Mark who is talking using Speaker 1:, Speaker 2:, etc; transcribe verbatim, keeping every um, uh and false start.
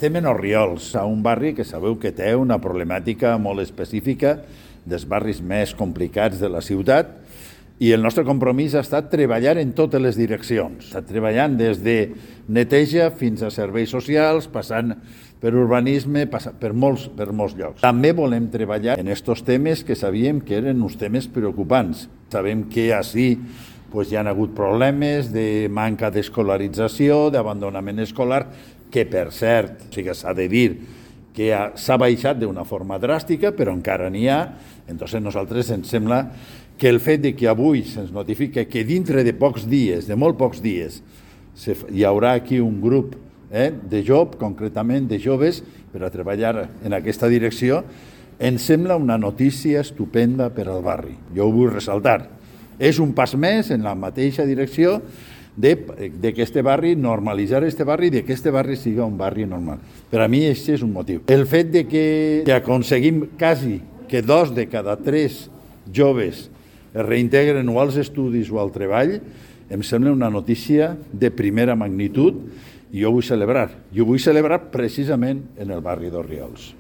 Speaker 1: Estem en Orriols, a un barri que sabeu que té una problemàtica molt específica dels barris més complicats de la ciutat, i el nostre compromís ha estat treballar en totes les direccions. Està treballant des de neteja fins a serveis socials, passant per urbanisme, passant per molts, per molts llocs. També volem treballar en aquests temes que sabíem que eren uns temes preocupants. Sabem que així pues, hi ha hagut problemes de manca d'escolarització, d'abandonament escolar, que per cert, o sigui, s'ha de dir que s'ha baixat d'una forma dràstica, però encara n'hi ha. Entonces, nosaltres ens sembla que el fet de que avui se'ns notifica que dintre de pocs dies, de molt pocs dies, hi haurà aquí un grup eh, de joves, concretament de joves, per a treballar en aquesta direcció, ens sembla una notícia estupenda per al barri. Jo ho vull ressaltar. És un pas més en la mateixa direcció de, de que este barri, normalitzar este barri, de que este barri siga un barri normal. Per a mi aquest és un motiu. El fet de que, que aconseguim quasi que dos de cada tres joves es reintegren o als estudis o al treball, em sembla una notícia de primera magnitud i jo vull celebrar. Jo vull celebrar precisament en el barri d'Orriols.